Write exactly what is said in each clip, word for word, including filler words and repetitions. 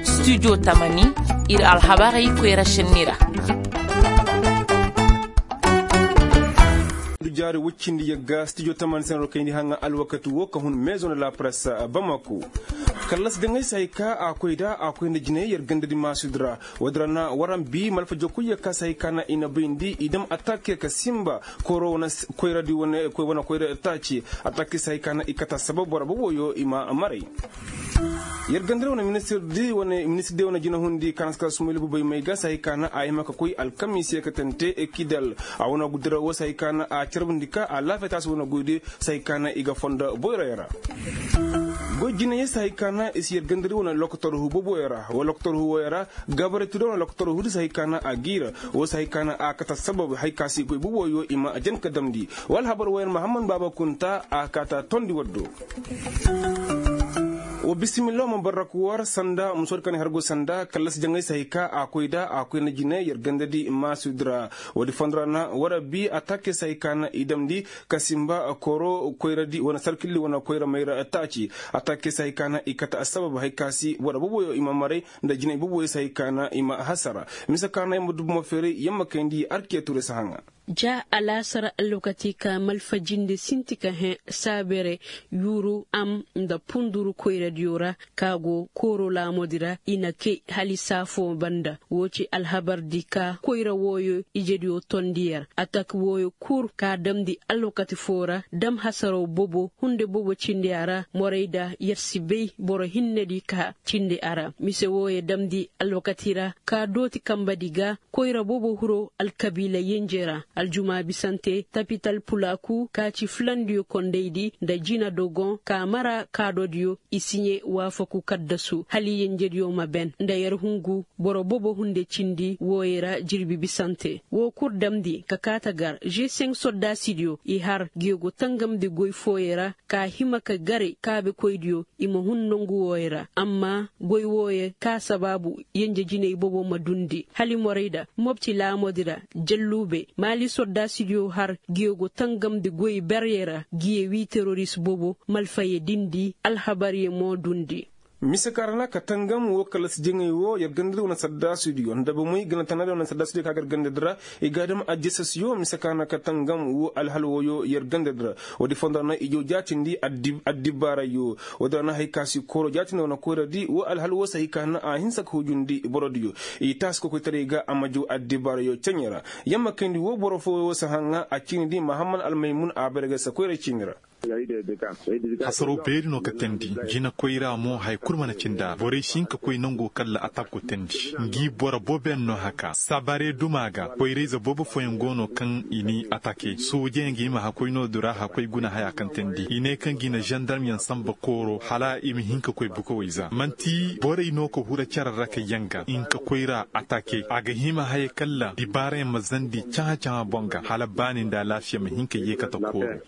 Studio tamani, ir alhabarey koyra šenni ra. Jaari woy cindi yagga studio tamani senero kayndi haŋa alwakati wo ka hun maison de la presse, bamako. Kallas jaŋay se hay ka a koy da a koy nda jinay yer ganda di maasudi ra. Woodi ra na waran bi malfa jokuy ya ka se hay ka na i na bayndi i dam attaque ka simba koyra di wane koyra taaci. Attaque se hay ka na i kata sabab boro boboyo i ma maray. Yer ganda ra wane ministir di wane jinahundi ka na si kala sumaylu bubay may ga se hay ka na a hima ka koy alkamiise ka tante kidal. A wane gudura wo se hay ka na a carbundi ka a laafiya taasi wane goy di se hay ka na i ga fondo boyroyo ra. Goy jinayey se hay ka na i si yer ganda di wane lokotor hu boboyo ra wa lokotor hu woyo ra. Gabaray tudo wane lokotor hu di se hay ka na a giira. Wo se hay ka na a kata sabab hay ka si goy boboyo i ma jen ka damndi. Wa alhabar woyo ra mahammad baaba kunta a kaata tondi waddo. Wa bisimilla wa ma barrak war sanda musoodi ka na i har go sanda kallas jaŋay se hay ka a koy da a koy na jine yer ganda di maasudi ra. Woodi fondo ra na war a bi attaque se hay ka na i damndi ka simba kooro koyra di wane sarkilli wane koyra mayra taaci. Attaque se hay ka na i kate assabab hay ka si war boboyo i ma maray nda jinay boboyo se hay ka na i ma hasara. Mise ka na yamma dubu ma feeray yamma kayndi arkiya turay si haŋa. Ja alaasara alwakati ka malfa jinde sinti ka hẽ saabere yuuru am nda punduru koyradiyo ra ka go kooro laamoodi ra i na kay hali saa foo banda. Woo ci alhabardi ka koyra wooyo ijediyo tondi yer atak wooyo kul ka damndi alwakati foo ra dam hasaraw bobo hunde bobo cindi a ra morayda yer si bay boro hinnedi ka cindi a ra mise wooyo damndi alwakati ra ka dooti kambadi ga. Koyra bobo hiro alkabiila yenje ra aljuma bisante tapital pulaaku ka ci fulandiyo kondaydi nda jina dogon ka mara kaadodiyo i siɲe waafaku kaddasu hala yenjediyo ma ben nda yer hungu boro bobo hunde cindi wooyo ra jirbi bisante woo kul damndi ka kaata gar g cinq soddaasidiyo i har geego tangamndi goy fooyo ra ka hima ka gare kaabekoydiyo i ma hun nongu wooyo ra amma goy wooyo ka sabaabu yenje jinay bobo ma dundi hala morayda mopti laamoodi ra jalluube maali soddaasidiyo har geego tangamndi goy berye ra giye wii teroris bobo malfaye dindi alhabarye mo dundi. Mise ka ra na ka tangam woo kala si jaŋay woo yer gandadi wane saddaasudiyo nda bomey gana tanaadi wane saddaasudiyo ka gar gandadi ra i ga a dam ajjasasiyo mise ka ra na ka tangam woo alhal wooyo yer gandadi ra. Woodi fondo ra na i jaw jaatindi addibaarayyo. Woodi ra na hay ka si kooro jaatindi wane koyradi woo alhal woo se hay ka na a hinsa ka hujundi borodiyo i taasi kokoytaray ga a ma jaw addibaarayyo ceɲe ra. Yamma kayndi woo boro fooyo se haŋa a ciinidi mahammad almaymun a bare ga se koyra ciini ra. Hasaroo beeri no ka teendi jina koyra mo haya kul mana cindi a ra borey si hin ka koy nangoo kaŋ ra atak go teendi ngi boro bobeyaŋ no haka sabare duma ga koyrayze boobo fooyaŋ go no kaŋ i n'i atake soojeyaŋ ga hima hakoy no du ra hakoy guna haya kaŋ teendi i ne kaŋ ga i na zandarmyaŋ sanba kooro hala i ma hin ka koy bukawey za man'ti borey no ka huru cere ra ka yanga i hin ka koyra atake a ga hima haya kaŋ ra dibaarayaŋ ma zandi cahã-cahã boŋ ga hala baani nda alaafiya ma hin ka yeekate kooro.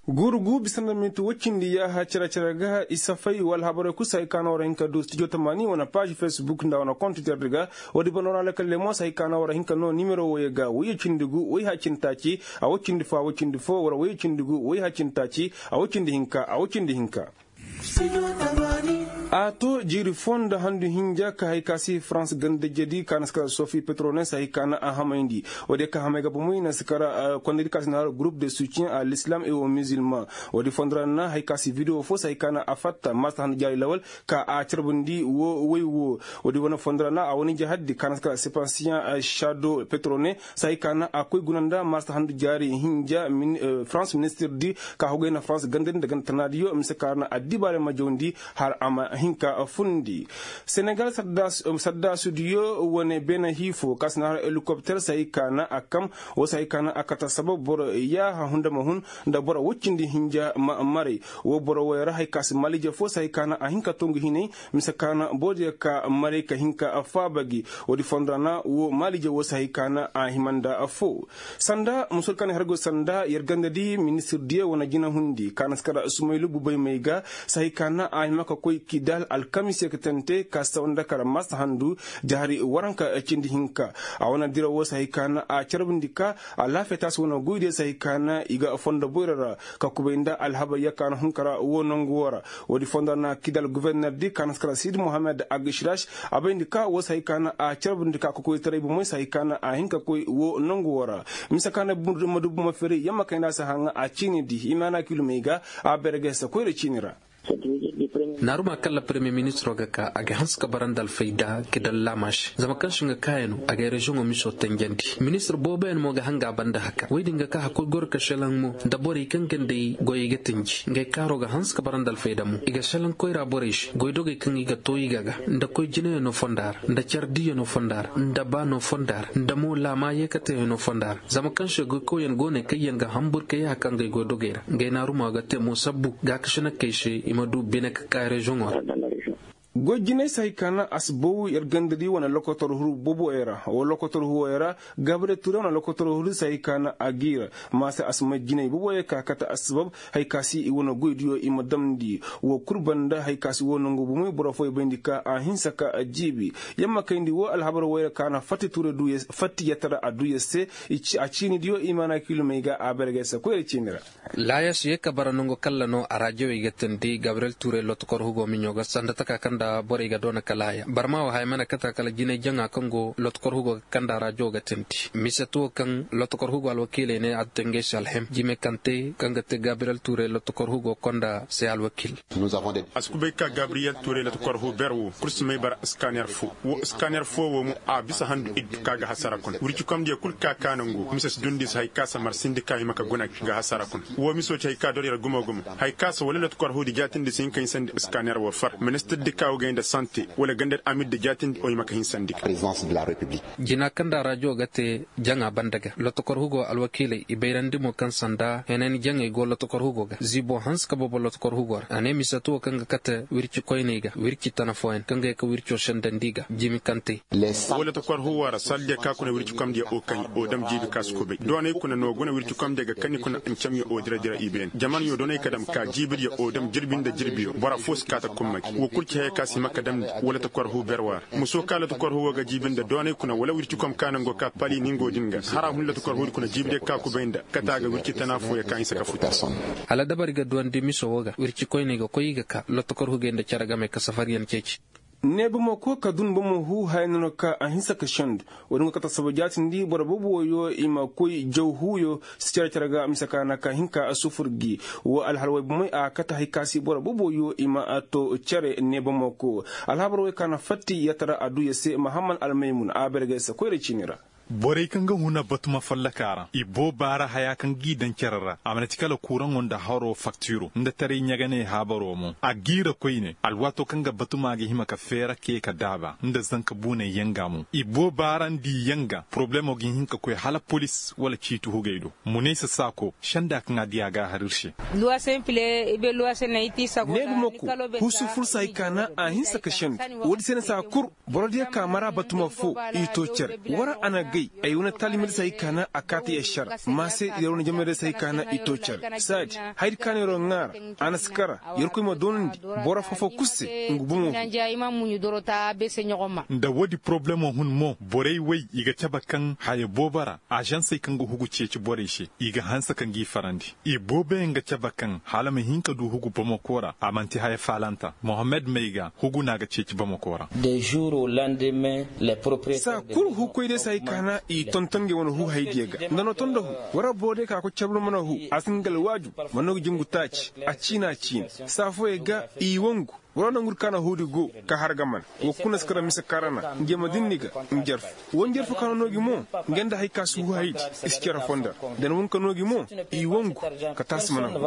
Guuru gu bisa nda minti woy cindi yaaha cere-cere ga i safay wala habarey kul se hay ka no war hin ka du studio tamaani wane paazi facebook nda wane kontitor di ga. Woodi banda war alakalley mo se hay ka no war hin ka no nimero woyey ga woyye cindi gu woy haya cindi taaci a woy cindi fo a woy cindi fo wala woyye cindi gu woy haya cindi taaci a woy cindi hinka a woy cindi hinka. A to jiiri foo nda handu hinja ka hay ka si farans ganda jedi ka na si kala sofi petrone si hay ka na a hamayndi. Woodiyo ka hamay ga bomoy na si kala kondedi ka si na har groupe de soutien a l'islam et au musulman. Woodi fondo ra na hay ka si video foo si hay ka na a fatta maasa handu jaari lawal ka a carbundi woo woy woo. Woodi wane fondo ra na a wane jahaddi ka na si kala sepansiyan shado petrone si hay ka na a koy guna nda maasa handu jaari hinja farans ministir di ka hogay na farans gandadi nda ganda tanaadiyo mise ka ra na addibaarey ma jawndi har a ma hin ka fundi. Senegal saddaasudiyo wane beena hii foo ka si na har helikopter si hay ka na a kam woo si hay ka na a kata sabab boro yaaha hunda ma hun nda boro woy cindi hinja ma maray. Woo boro woy ra hay ka si maliije foo si hay ka na a hin ka tongu hinay mise ka na boodiyo ka maray ka hin ka faaba gi. Woodi fondo ra na woo maliije woo si hay ka na a hima nda foo sanda musoodi ka na i har go sanda yer ganda di ministir diyo wane jinahundi ka na si kara sumaylu bubay may ga si hay ka na a hima ka koy. Alkamis ye ka tante ka sawa nda kara masa handu jahari waranka cindi hinka. A wane dira wo se hay ka na a carbundi ka alaafiya taasi wane goydiyo se hay ka na i ga fondo boyro ra ka kubay nda alhabar ya ka na hunkara wo nangu wo ra. Woodi fondo ra na kidal goforner di ka na si kara sidi mohammed agashirash. A bayndi ka wo se hay ka na a carbundi ka kokoytaray bomey se hay ka na a hin ka koy wo nangu wo ra. Mise ka na ma du bomo feri yamma kayndi a si haŋa a ciini di i ma na kilumey ga a berge se koyra ciini ra. Naaruma kaŋ ra peremiyer ministiro ga ka a ga hanse ka bara nda alfayda kidal laamaš zama kaŋ se nga kaayano a ga ay reziyoŋo miso tanjandi. Ministir booboyaŋ mo ga hanga a banda haka woy din ga ka hakkoy goro ka šelaŋ mo nda borey kaŋ ga nda ay goyey ga tanji ngey kaaro ga hanse ka bara nda alfayda mo i ga šelaŋ koyra borey se goydogey kaŋ i ga too i ga ga nda koy jinayaŋo fonda ra nda care diyaŋo fonda ra nda baano fonda ra nda mo laama yeekateyaŋo fonda ra. Zama kaŋ se goykawyaŋ go no ay kaŋ yaŋ ga hambur ka yee haka ngey goydogey ra ngey naaruma ga te mo sabbu gaakasinakkey se i ma du bine ka ka reziyoŋo ra. Goy jinay se hay ka na a si baw yer gandadi wane lokotor huru boboyey ra wo lokotor huwoyey ra. Gabriel ture wane lokotor huru se hay ka na a giira maase a si may jinay boboyey ka kate assabab. Hay ka si i wane goydiyo i ma damndi wo kul banda hay ka si wo nangu bomey boro fooyey bayndi ka a hinsa ka a jiibi. Yamma kayndi wo alhabar woyra ka na fatti ture du yer se fatti yatara a du yer se. A ciinidiyo i maana kilomey ga a bergey se koyra ciini ra. Laayas ye ka bara nangu kalla no a raajawey ga teendi gabriyel tuuray lotokor hugo miɲo ga sanda taka kaŋ nda borey ga doona ka laaya barma wo haya mana kata kala jinay jaŋa kaŋ go lotokor hugo ga kanda raajawo ga teendi mise tuwo kaŋ lotokor hugo alwakiiley ne a ga te ngey se alhem jime kaŋ te kaŋ ga te gabriyel tuuray lotokor hugo konda se alwakiil. A si kubay ka gabriyel tuuray lotokor hugo ber wo kul si may bara iskaner fo wo iskaner fo wo mo a bisa handu iddu ka ga hasara kuna wirci komdiyo kul ka ka nangu mise si dundi se hay ka samar sindi ka hima ka guna ga hasara kuna. Wo miso ci hay ka dor yer gumo gumo hay ka se wala lotokor huudi jaatindi si hin ka hinsandi iskaner wo far ministir di ka wo gay nda sante wala ganda di amir di jaatindi o hima ka hinsandi ga. Jina kaŋ nda rajo ga te jaŋa banda ga lotokor hugo alwakiiley i bayrandi mo kaŋ sanda henani jaŋey go lotokor hugo ga ziibo hanse ka bobo lotokor hugo ra a ne mise tuwo kaŋ ga kate wirci koyney ga wirci tana fooyaŋ kaŋ ga ye ka wirco sendandi ga jimi kaŋ te. Wala ta kor huwa ra saldiya ka kuna wirci komdiya o kaŋ o dam jiibi ka si kubay doonay kuna no guna wirci komdiya ga kani kuna ncamyo o dira dira i been jamanyo doonay ka dam ka jiibidiya o dam jirbi nda jirbiyo bora fo si ka ta kumma gi wo kul ci haya ka si hima ka damndi. Wala ta kor hu berwa ra muso ka la ta kor huwa ga jiibi nda doonay kuna wala wirci kom ka nango ka pali ningo din ga hara hun la ta kor hudi kuna jiibidiya ka kubay nda kata ga wirci tana fooya ka hinsa ka futa. Hala dabari ga duwandi miso wo ga wirci koyney ga koy i ga ka lotokor hugey nda cere game ka safariyaŋ ceeci. Ne bomo ko ka dun bomo hu haya no ka a hinsa ka sendu. Wo-din go kate saba jaatindi boro boobo woyo i ma koy jaw huuyo si cere cere ga mise ka na ka hinka a sufur gi. Wo alhal woy bomey a kate hay ka si boro boobo woyo i ma a to cere ne bomo ko. Alhabar woy ka na fatti yatara a du ya se mahamman almaymun a bergay se koyra ciini ra. Borey kaŋ ga huna batuma fallaka ra i booba ra haya kaŋ g'i daŋ cere ra a mana ti kala kuraŋo nda haro faktiro nda taray ɲaganey haabaro mo a g'i ra koyne alwaato kaŋ ga batuma ga hima ka feera ke ka daaba nda zanka buuney yanga mo i booba ra nda i yanga poroblemo ga hin ka koy hala polis wala ciiti hugey do. Munaysa saako senda kaŋ a di a ga a har ir se. Neebi mako husu fursa hay ka na a hinsa ka sendu. Woodi se na saa kul boro diya ka mara batuma fo i to cere wara a na gay ay wane taalimadi se hay ka na a kaati ašara ma se yer wane jamey day se hay ka na i to cere saadi hayadi ka na yer'o ŋaara a na si kara yerkoy ma doonandi boro foo-foo kul se. Nga bomo fu. Nda woodi porobalemo hun mo borey way i ga cabe kaŋ haya boobo ra azansey kaŋ ga hugu ceeci borey se i ga hanse ka ngi farandi. I booboyaŋ ga cabe kaŋ hala ma hin ka du hugu bamako ra a manti haya faalanta mohammed may ga hugu no a ga ceeci bamako ra. Saa kul hukoy day se hay ka na i tonton ngey wane hu haydiyo ga nda no ton nda hu. War boro day ka koy cabe mana hu a si nga alwaaju ma no ga jingu taaci a ciina ciina saa fooyey ga i wangu. War nangu di ka na huudi go ka har ga mana wo kuna si kara mise karana nge ma dinni ga njarfu wo njarfu ka na no gi mo. Nge nda hay ka si hu haydi i si cere fonda ra da na wun ka no gi mo i wangu ka taasi mana hu.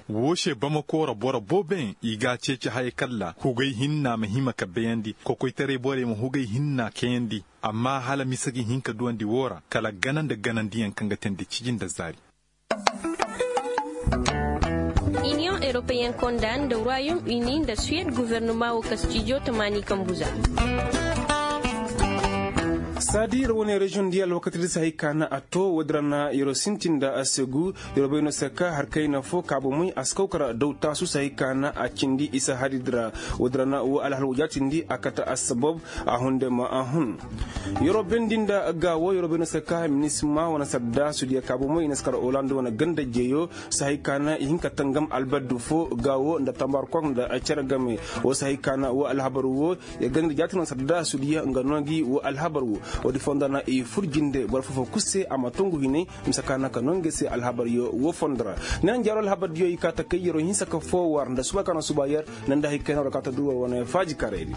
Woo se bamako ra boro booboyaŋ i ga a ceeci haya kalla hugay hinna ma hima ka bayandi kokoytaray borey ma hugay hinna kayandi. Amma hala mise ga hin ka duwandi woo ra kala gana nda ganandiyaŋ kaŋ ga teendi ciji nda zaari. Iniyoŋ europeyen konda nda royaume uni nda suwed guvernuma wo ka stijo tamaani kambuza. Saadi yer wane reziyoŋ di alwakati di sahay ka na a to woodi ra na yer sintin nda a segu. Yer bay no se ka har kayna fo kaabamey a si kaw kara daw taasu sahay ka na a cindi isa hari di ra. Woodi ra na wo alhal wo jaatindi a kate assabab a hunde ma a hun. Yer bendi nda gaawo yer bay no se ka minisma wane sadda sudiya kaabamey i na si kara oland wane ganda jeyo. Sahay ka na i hin ka tangam albaddu fo gaawo nda tambar kok nda cere game. Wo sahay ka na wo alhabar wo ya ganda jaati no sadda sudiya nga no gi wo alhabar wo. Wo di fondo na i fur jinde boro fofo kul se a ma tongu hinay. Mise ka na ka no nga se alhabar yo wo fondo ra. Ne na jaaro alhabar diyo i ka ta kay yero hinsa ka fo war nda suba ka na suba yer. Ne nda hay kay na war ka ta du war wane faaji karey di.